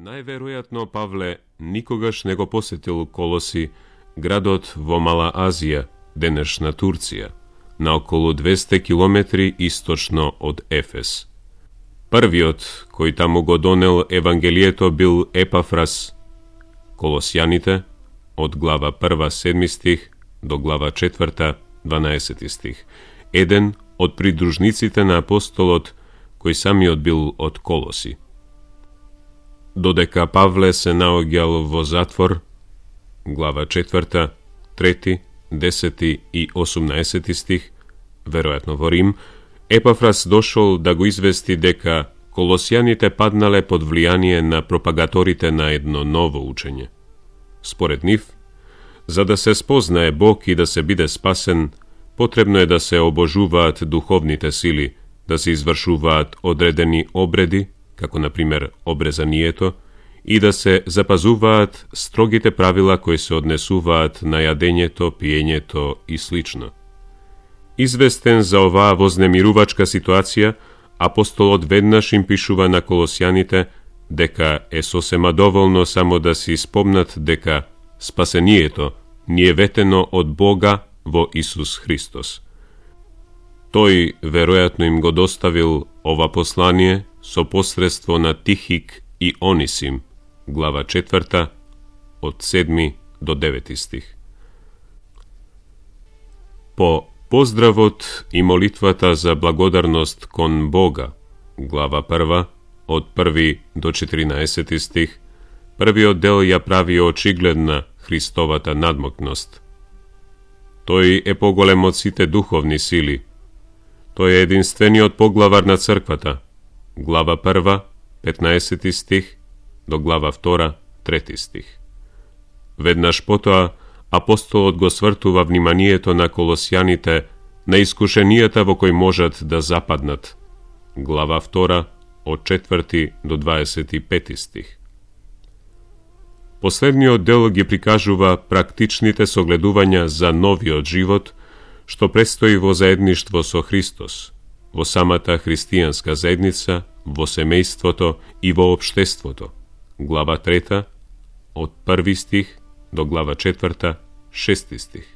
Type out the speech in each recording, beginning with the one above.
Најверојатно Павле никогаш не го посетил Колоси, градот во Мала Азија, денешна Турција, на околу 200 километри источно од Ефес. Првиот кој таму го донел Евангелието бил Епафрас. Колосјаните, од глава 1, 7 стих, до глава 4, 12 стих, еден од придружниците на апостолот, кој самиот бил од Колоси. Додека Павле се наоѓал во затвор, глава 4, 3, 10 и 18 стих, веројатно во Рим, Епафрас дошол да го извести дека колосјаните паднале под влијание на пропагаторите на едно ново учење. Според нив, за да се спознае Бог и да се биде спасен, потребно е да се обожуваат духовните сили, да се извршуваат одредени обреди, како например обрезанието, и да се запазуваат строгите правила кои се однесуваат на јадењето, пиењето и слично. Известен за оваа вознемирувачка ситуација, апостолот веднаш им пишува на колосјаните дека е сосема доволно само да си спомнат дека спасението ни е ветено од Бога во Исус Христос. Тој веројатно им го доставил ова послание со посредство на Тихик и Онисим, глава 4, од 7 до 9 стих. По поздравот и молитвата за благодарност кон Бога, глава 1, од 1 до 14 стих, првиот дел ја прави очигледна Христовата надмокност. Тој е поголем од сите духовни сили. Тој е единствениот поглавар на црквата, глава 1, 15 стих, до глава 2, 3 стих. Веднаш потоа, апостолот го свртува вниманието на колосјаните на искушенијата во кои можат да западнат, глава 2, од 4 до 25 стих. Последниот дел ги прикажува практичните согледувања за новиот живот, што престои во заедништво со Христос, во самата христијанска заедница, во семејството и во општеството, глава 3, од 1 стих до глава 4, 6 стих.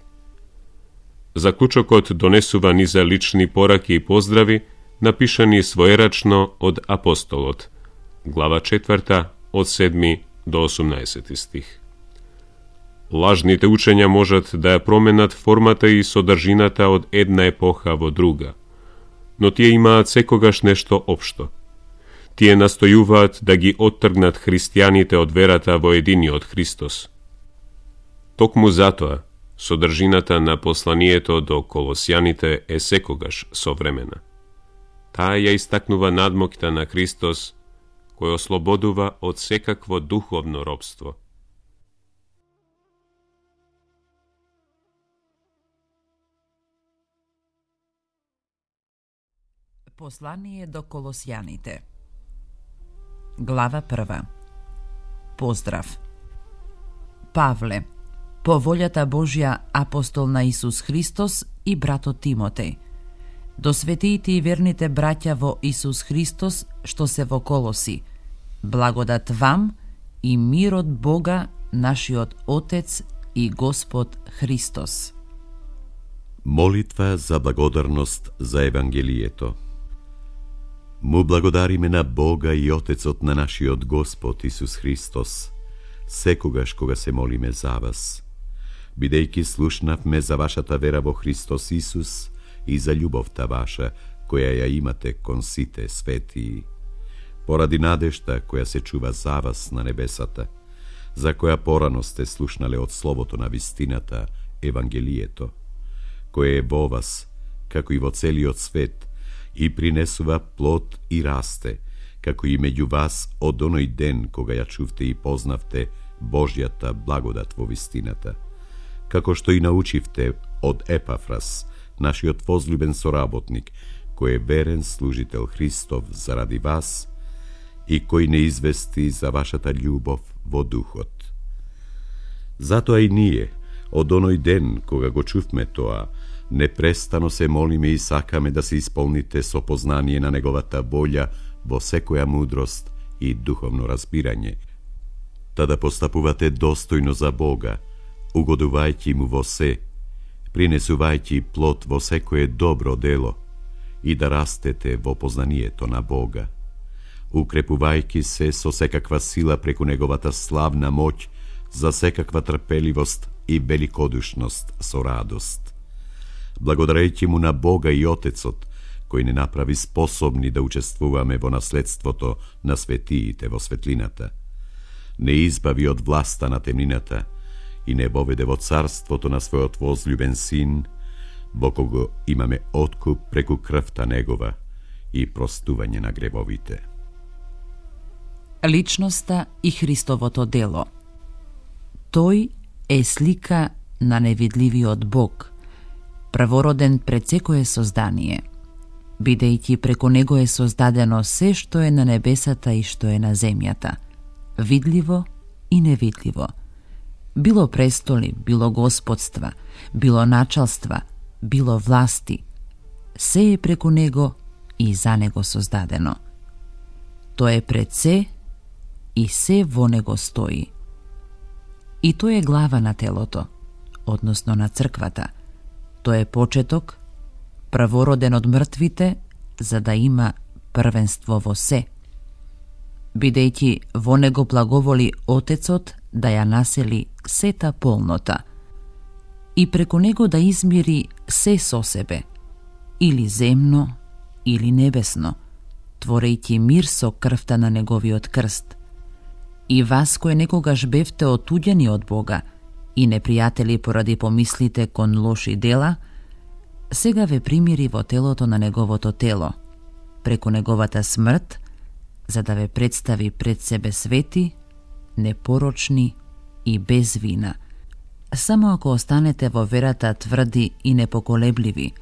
Заклучокот донесува низа лични пораки и поздрави, напишани своерачно од апостолот, глава 4, од 7 до 18 стих. Лажните учења можат да ја променат формата и содржината од една епоха во друга, но тие имаат секогаш нешто општо. Тие настојуваат да ги оттргнат христијаните од верата во единиот Христос. Токму затоа, содржината на посланието до колосјаните е секогаш современа. Таа ја истакнува надмокта на Христос, кој ослободува од секакво духовно робство. Послание до колосјаните. Глава 1. Поздрав. Павле, по волјата Божја, апостол на Исус Христос и братот Тимотеј, до светиите и верните браќа во Исус Христос што се во Колоси, благодат вам и мир од Бога, нашиот Отец и Господ Христос. Молитва за благодарност за Евангелието. Му благодариме на Бога и Отецот на нашиот Господ Исус Христос, секогаш кога се молиме за вас, бидејќи слушнавме за вашата вера во Христос Исус и за љубовта ваша, која ја имате кон сите светии, поради надежта која се чува за вас на небесата, за која порано сте слушнале од словото на вистината, Евангелието, кое е во вас, како и во целиот свет, и принесува плод и расте, како и меѓу вас од оној ден кога ја чувте и познавте Божјата благодат во вистината, како што и научивте од Епафрас, нашиот возлюбен соработник, кој е верен служител Христов заради вас и кој не извести за вашата љубов во духот. Затоа и ние, од оној ден кога го чувме тоа, непрестано се молиме и сакаме да се исполните со познание на неговата волја во секоја мудрост и духовно разбирање, та да постапувате достојно за Бога, угодувајќи му во се, принесувајќи плод во секое добро дело и да растете во познанието на Бога, укрепувајќи се со секаква сила преку неговата славна моќ за секаква трпеливост и великодушност со радост. Благодарејќи му на Бога и Отецот, кој не направи способни да учествуваме во наследството на светиите во светлината, не избави од власта на темнината и не воведе во царството на својот возлюбен син, во кого имаме откуп преку крвта негова и простување на гревовите. Личноста и Христовото дело. Тој е слика на невидливиот Бог, првороден пред секое создание, бидејќи преку него е создадено се што е на небесата и што е на земјата, видливо и невидливо, било престоли, било господства, било началства, било власти, се е преку него и за него создадено. Тој е пред се и се во него стои. И тој е глава на телото, односно на црквата. Тој е почеток, првороден од мртвите, за да има првенство во се, бидејќи во него благоволи Отецот да ја насели сета полнота и преку него да измири се со себе, или земно, или небесно, творејќи мир со крвта на неговиот крст. И вас кои некогаш бевте отуѓени од Бога и непријатели поради помислите кон лоши дела, сега ве примири во телото на неговото тело, преку неговата смрт, за да ве представи пред себе свети, непорочни и без вина. Само ако останете во верата тврди и непоколебливи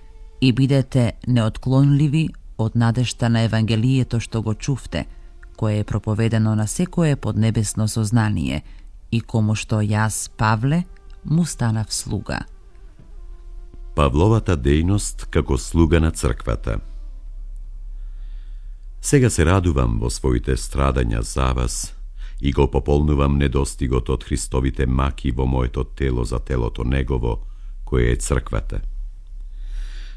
и бидете неотклонливи од надежта на Евангелието што го чувте, кое е проповедено на секое поднебесно сознание и кому што јас, Павле, му станав слуга. Павловата дејност како слуга на црквата. Сега се радувам во своите страдања за вас и го пополнувам недостигот од Христовите маки во моето тело за телото негово, кое е црквата.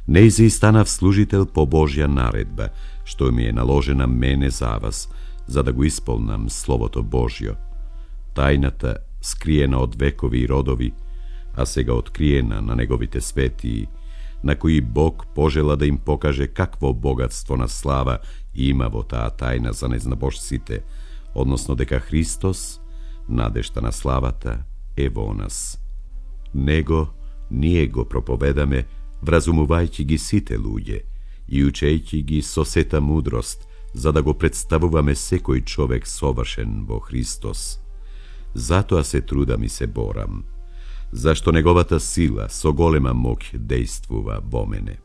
Нејзи станав служител по Божја наредба, што ми е наложена мене за вас, за да го исполнам Словото Божјо, тајната скриена од векови и родови, а сега откриена на неговите светии, на кои Бог пожела да им покаже какво богатство на слава има во таа тајна за незнабожците, односно дека Христос, надежта на славата, е во нас. Него ние го проповедаме, вразумувајќи ги сите луѓе и учејќи ги со сета мудрост, за да го представуваме секој човек совршен во Христос. Затоа се трудам и се борам, зашто неговата сила со голема моќ дејствува во мене.